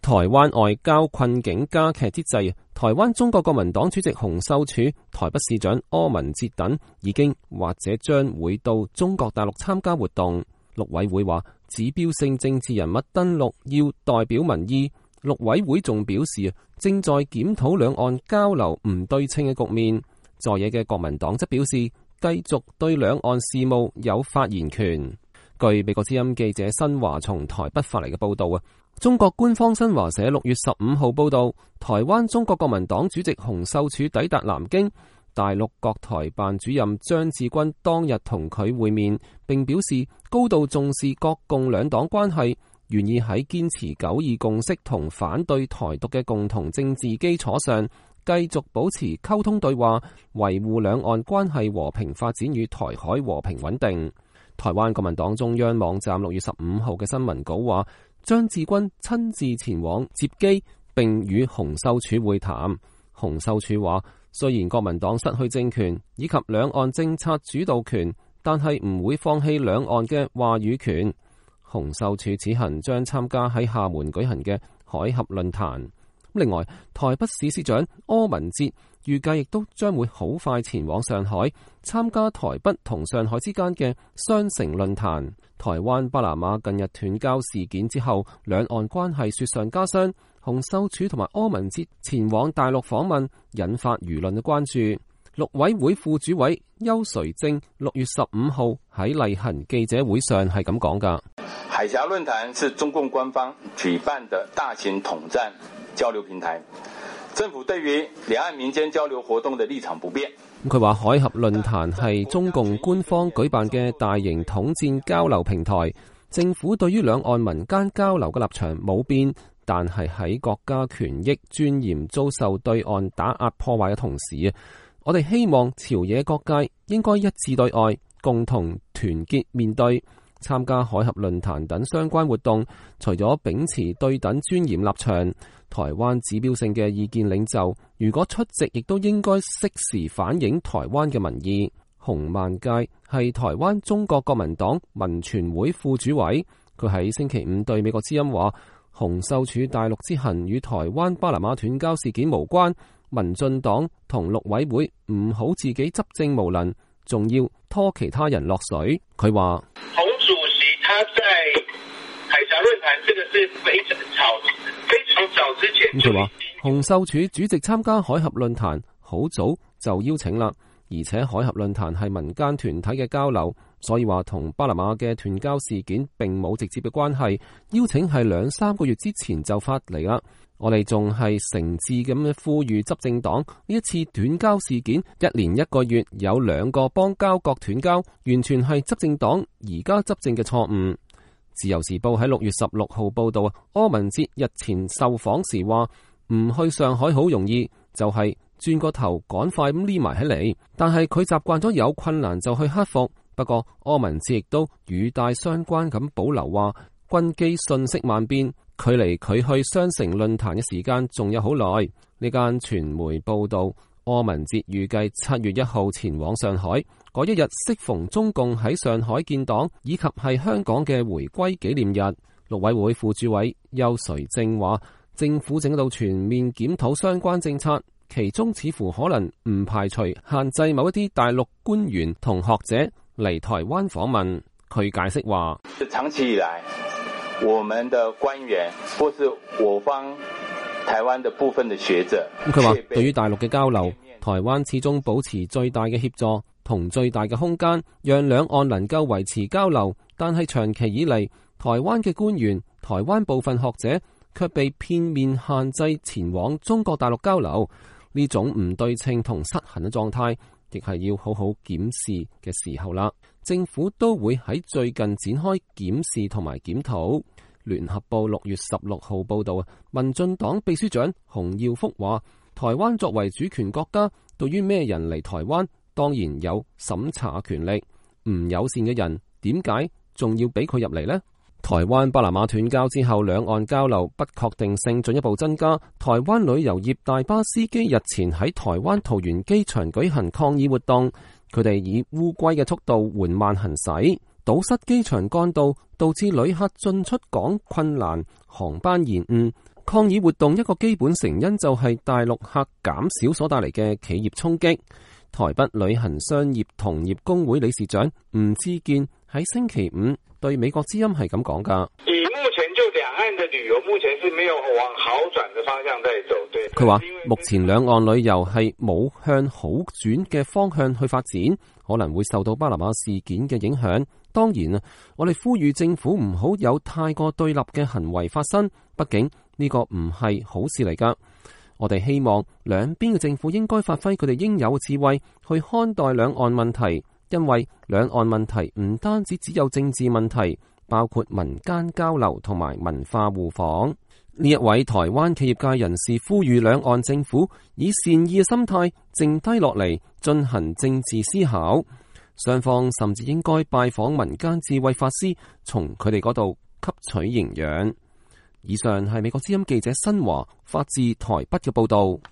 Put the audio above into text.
台灣外交困境加劇之際，台灣中國國民黨主席洪秀柱、台北市長柯文哲等已經或者將會到中國大陸參加活動。陸委會話，指標性政治人物登陸要代表民意。陸委會仲表示，正在檢討兩岸交流唔對稱嘅局面。在野嘅國民黨則表示，繼續對兩岸事務有發言權。據美國之音記者新華從台北發嚟嘅報道，中國官方新華社6月15號報道，台灣中國國民黨主席洪秀柱抵達南京，大陸國台辦主任張志軍當日同佢會面，並表示高度重視國共兩黨關係，願意喺堅持九二共識同反對台獨嘅共同政治基礎上，繼續保持溝通對話，維護兩岸關係和平發展與台海和平穩定。台灣國民黨中央網站6月15號嘅新聞稿話，張志軍親自前往接機，並與洪秀柱會談。洪秀柱話，雖然國民黨失去政權以及兩岸政策主導權，但係唔會放棄兩岸嘅話語權。洪秀柱此行將參加喺廈門舉行嘅海峽論壇。另外，台北市市長柯文哲預計亦都將會好快前往上海參加台北同上海之間嘅雙城論壇。台灣巴拿馬近日斷交事件之後，兩岸關係雪上加霜。洪秀柱同埋柯文哲前往大陸訪問，引發輿論嘅關注。陸委會副主委邱垂正6月15號喺例行記者會上係咁講㗎。海峽論壇是中共官方舉辦的大型統戰交流平台，政府對於兩岸民間交流活動的立場不變。佢話海峽論壇係中共官方舉辦嘅大型統戰交流平台，政府對於兩岸民間交流嘅立場冇變，但係喺國家權益尊嚴遭受對岸打壓破壞嘅同時，我哋希望朝野各界應該一致對外，共同團結面對。參加海峽論壇等相關活動，除咗秉持對等尊嚴立場，台灣指標性嘅意見領袖如果出席，亦都應該適時反映台灣嘅民意。洪萬佳係台灣中國國民黨民傳會副主委，佢喺星期五對美國之音話，洪秀柱大陸之行與台灣巴拿馬斷交事件無關，民進黨同陸委會唔好自己執政無能，仲要拖其他人落水。佢話洪主席他在海峽論壇，這個是非常早之前。佢話洪秀柱主席參加海峽論壇好早就邀請啦，而且海峽論壇係民間團體嘅交流，所以話同巴拿馬嘅斷交事件並冇直接嘅關係。邀請係2-3個月之前就發嚟啦。我哋仲係誠摯咁樣呼籲執政黨，呢一次斷交事件1年1個月有2個邦交國斷交，完全係執政黨而家執政嘅錯誤。自由時報喺6月16號報道，柯文哲日前受訪時話，唔去上海好容易，就係轉個頭趕快咁匿埋起嚟，但係佢習慣咗有困難就去克服。不過柯文哲亦都語帶相關咁保留話，軍機信息萬變，距離佢去雙城論壇嘅時間仲有好耐。呢間傳媒報道，柯文哲預計7月1號前往上海，嗰一日適逢中共喺上海建黨，以及係香港嘅回歸紀念日。陸委會副主委邱垂正話，政府正喺度全面檢討相關政策，其中似乎可能唔排除限制某一啲大陸官員同學者嚟台灣訪問。佢解釋話，長期以來我們的官員或是我方台灣的部分的學者，佢話對於大陸嘅交流，台灣始終保持最大嘅協助同最大嘅空間，讓兩岸能夠維持交流。但係長期以嚟，台灣嘅官員、台灣部分學者卻被片面限制前往中國大陸交流，呢種唔對稱同失衡嘅狀態，亦係要好好檢視嘅時候啦。政府都會喺最近展開檢視同埋檢討。聯合報6月16號報道，民進黨秘書長洪耀福話，台灣作為主權國家，對於咩人嚟台灣，當然有審查權力。唔友善嘅人，點解仲要俾佢入嚟呢？台灣巴拿馬斷交之後，兩岸交流不確定性進一步增加。台灣旅遊業大巴司機日前喺台灣桃園機場舉行抗議活動，佢哋以烏龜嘅速度緩慢行駛，堵塞機場幹道，導致旅客進出港困難，航班延誤。抗議活動一個基本成因就係大陸客減少所帶嚟嘅企業衝擊。台北旅行商業同業公會理事長吳志健喺星期五對美國之音係咁講噶。以目前就兩岸的旅遊，目前是沒有往好轉的方向在走。對，佢話目前兩岸旅遊係冇向好轉嘅方向去發展，可能會受到巴拿馬事件嘅影響。當然啊，我哋呼籲政府唔好有太過對立嘅行為發生，畢竟呢個唔係好事嚟噶。我哋希望兩邊嘅政府應該發揮佢哋應有嘅智慧去看待兩岸問題，因為兩岸問題唔單止只有政治問題，包括民間交流同埋文化互訪。呢一位台灣企業界人士呼籲兩岸政府以善意嘅心態靜低落嚟進行政治思考，雙方甚至應該拜訪民間智慧法師，從佢哋嗰度吸取營養。以上係美國之音記者新華發自台北嘅報道。